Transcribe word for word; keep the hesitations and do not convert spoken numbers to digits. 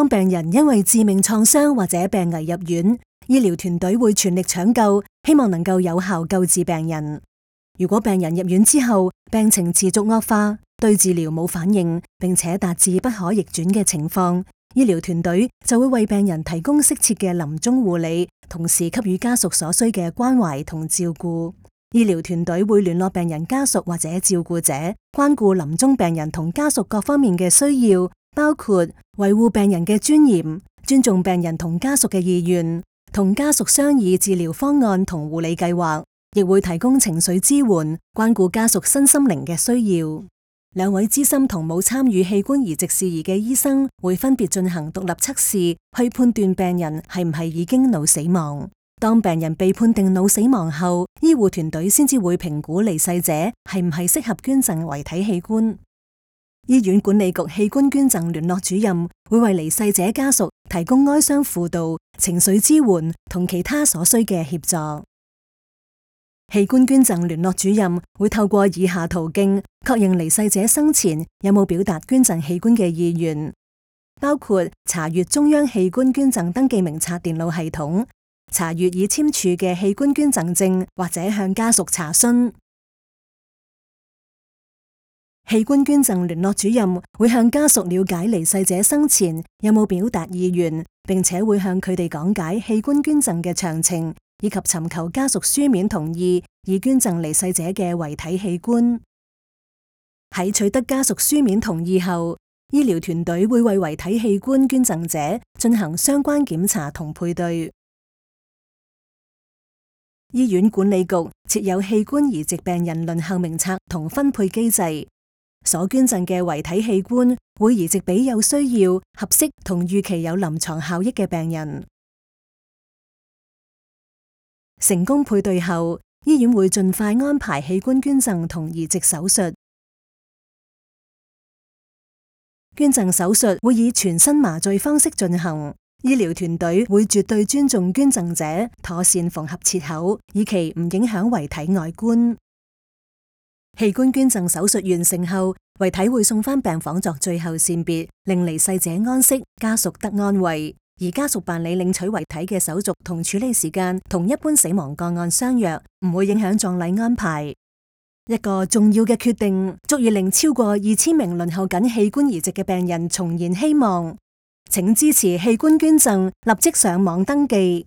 當病人因為致命創傷或者病危入院，醫療團隊會全力搶救，希望能夠有效救治病人。如果病人入院之後病情持續惡化，對治療冇反應，並且達至不可逆轉嘅情況，醫療團隊就會為病人提供適切嘅臨終護理，同時給予家屬所需嘅關懷同照顧。醫療團隊會聯絡病人家屬或者照顧者，關顧臨終病人同家屬各方面嘅需要，包括維護病人嘅尊嚴、尊重病人同家屬嘅意願，同家屬商議治療方案同護理計劃，亦會提供情緒支援，關顧家屬身心靈嘅需要。兩位資深同冇參與器官移植事宜嘅醫生會分別進行獨立測試，去判斷病人係唔係已經腦死亡。當病人被判定腦死亡後，醫護團隊先至會評估離世者係唔係適合捐贈遺體器官。醫院管理局器官捐贈聯絡主任會為離世者家屬提供哀傷輔導、情緒支援同其他所需嘅協助。器官捐贈聯絡主任會透過以下途徑確認離世者生前有冇表達捐贈器官嘅意願，包括查閱中央器官捐贈登記名冊電腦系統，查閱已簽署嘅器官捐贈證，或者向家屬查詢。器官捐贈聯絡主任會向家屬了解離世者生前有冇表達意願，並且會向佢哋講解器官捐贈嘅詳情，以及尋求家屬書面同意，以捐贈離世者嘅遺體器官。喺取得家屬書面同意後，醫療團隊會為遺體器官捐贈者進行相關檢查同配對。醫院管理局設有器官移植病人輪候名冊同分配機制，所捐贈嘅遺體器官會移植俾有需要、合適同預期有臨床效益嘅病人。成功配對後，醫院會盡快安排器官捐贈同移植手術。捐贈手術會以全身麻醉方式進行。醫療團隊會絕對尊重捐贈者，妥善縫合切口，以期唔影響遺體外觀。器官捐贈手術完成後，遺體會送返病房作最後善別，令離世者安息，家屬得安慰。而家屬辦理領取遺體嘅手續同處理時間，同一般死亡個案相若，唔會影響葬禮安排。一個重要嘅決定，足以令超過二千名輪候緊器官移植嘅病人重燃希望。請支持器官捐贈，立即上網登記。